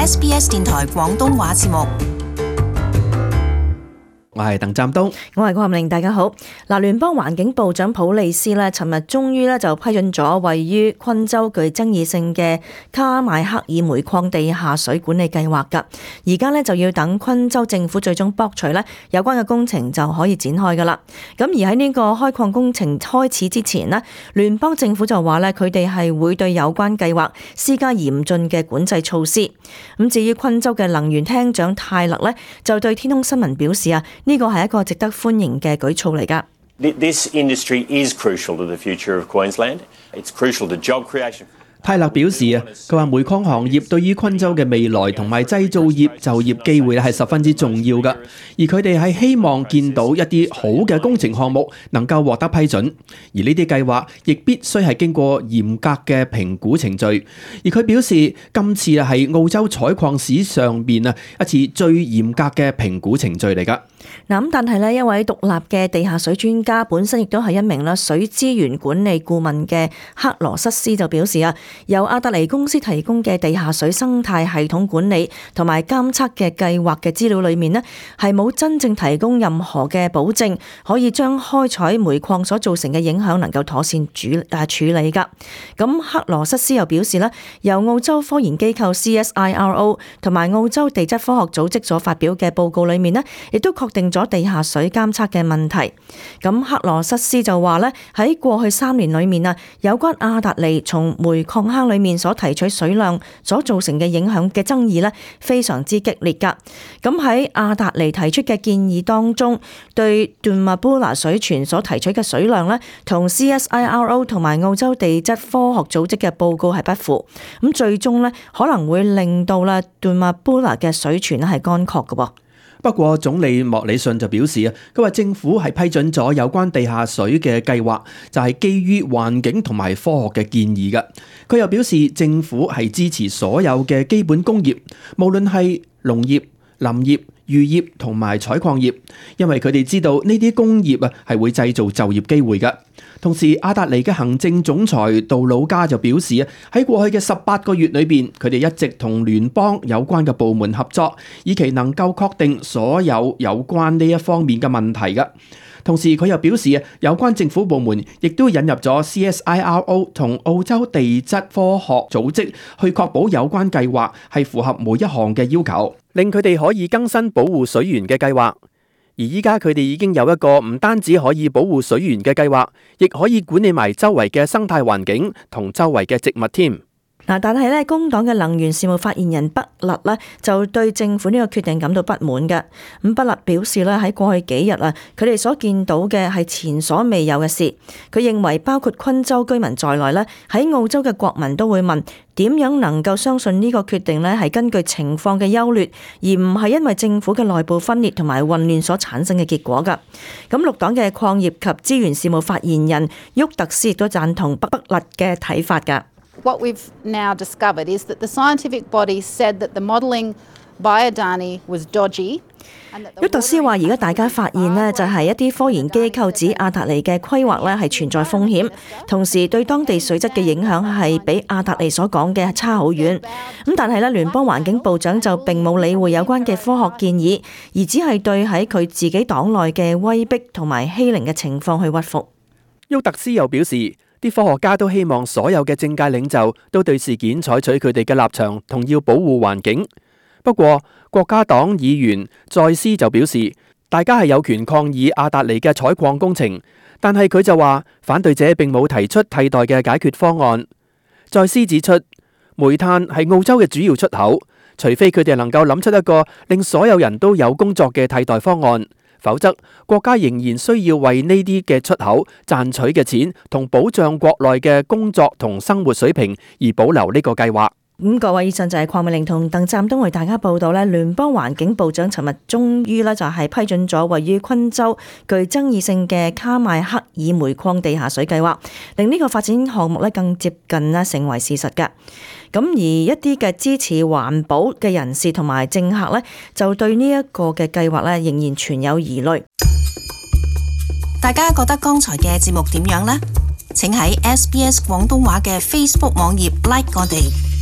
SBS 電台廣東話節目。我係鄧湛東，我係郭冚玲，大家好。聯邦環境部長普利斯咧，尋日終於咧就批准咗位於昆州具爭議性嘅卡邁克爾煤礦地下水管理計劃㗎。而家咧就要等昆州政府最終駁除咧有關嘅工程就可以展開㗎啦。咁而喺呢個開礦工程開始之前呢，聯邦政府就話咧佢哋係會對有關計劃施加嚴峻嘅管制措施。咁至於昆州嘅能源廳長泰勒咧，就對天空新聞表示啊，呢個係一個值得歡迎嘅舉措嚟㗎。This industry is crucial to the future of Queensland. It's crucial to job creation. 泰勒表示啊，佢話煤礦行業對於昆州嘅未來同埋製造業就業機會係十分之重要㗎，而佢哋係希望見到一啲好嘅工程項目能夠獲得批准，而呢啲計劃亦必須係經過嚴格嘅評估程序。而佢表示，今次係澳洲採礦史上邊啊一次最嚴格嘅評估程序嚟㗎。咁但係咧，一位獨立嘅地下水專家，本身亦都係一名啦水資源管理顧問嘅克羅塞斯就表示啊，由阿德尼公司提供嘅地下水生態系統管理同埋監測嘅計劃嘅資料裏面呢，係冇真正提供任何嘅保證，可以將開採煤礦所造成嘅影響能夠妥善處理㗎。咁克羅塞斯又表示咧，由澳洲科研機構 CSIRO 同埋澳洲地質科學組織所發表嘅報告裏面呢，亦都確定咗地下水監測嘅問題。咁克羅塞斯就話咧，喺過去3年裏面啊，有關阿達尼從煤礦坑裏面所提取水量所造成嘅影響嘅爭議咧，非常之激烈噶。咁喺阿達尼提出嘅建議當中，對段馬布拉水泉所提取嘅水量咧，同 CSIRO 同埋澳洲地質科學組織嘅報告係不符。咁最終咧，可能會令到咧段馬布拉嘅水泉咧係乾涸嘅噃。不過總理莫里遜就表示啊，佢話政府係批准咗有關地下水嘅計劃，就係基於環境同埋科學嘅建議嘅。佢又表示政府係支持所有嘅基本工業，無論係農業、林業、漁業同埋採礦業，因為佢哋知道呢啲工業啊係會製造就業機會嘅。同時，阿達尼嘅行政總裁杜魯加就表示啊，喺過去嘅18個月裏邊，佢哋一直同聯邦有關嘅部門合作，以期能夠確定所有有關呢一方面嘅問題嘅。同時，佢又表示啊，有關政府部門亦都引入咗 CSIRO 同澳洲地質科學組織，去確保有關計劃係符合每一項嘅要求，令佢哋可以更新保護水源嘅計劃。而依家佢哋已經有一個唔單止可以保護水源嘅計劃，亦可以管理埋周圍嘅生態環境同周圍嘅植物添。但係咧，工黨嘅能源事務發言人畢勒咧就對政府呢個決定感到不滿嘅。咁畢勒表示咧，喺過去幾日啊，佢哋所見到嘅係前所未有嘅事。佢認為包括昆州居民在內咧，喺澳洲嘅國民都會問點樣能夠相信呢個決定咧係根據情況嘅優劣，而唔係因為政府嘅內部分裂同埋混亂所產生嘅結果㗎。咁綠黨嘅礦業及資源事務發言人沃特斯亦都贊同畢勒嘅睇法㗎。What we've now discovered is that the scientific body said that the modelling by Adani was dodgy. 沃特斯話：而家大家發現呢，就係一啲科研機構指阿達尼嘅規劃呢係存在風險，同時對當地水質嘅影響係比阿達尼所講嘅差好遠。咁但係呢，聯邦環境部長就並冇理會有關嘅科學建議，而只係對喺佢自己黨內嘅威逼同埋欺凌嘅情況去屈服。沃特斯又表示，啲科學家都希望所有嘅政界領袖都對事件採取佢哋嘅立場，同要保護環境。不過，國家黨議員再斯就表示，大家係有權抗議阿達尼嘅採礦工程，但係佢就話反對者並冇提出替代嘅解決方案。再斯指出，煤炭係澳洲嘅主要出口，除非佢哋能夠諗出一個令所有人都有工作嘅替代方案，否則國家仍然需要為呢啲嘅出口賺取嘅錢同保障國內嘅工作同生活水平而保留呢個計劃。各位，以上就係鄺美玲同鄧湛東為大家報道咧，聯邦環境部長尋日終於咧就係批准咗位於昆州具爭議性嘅卡邁克爾煤礦地下水計劃，令呢個發展項目咧更接近咧成為事實㗎。咁而一啲嘅支持環保嘅人士同埋政客咧，就對呢一個嘅計劃咧仍然存有疑慮。大家覺得剛才嘅節目點樣呢？請喺 SBS 廣東話嘅 Facebook 網頁 like 我哋。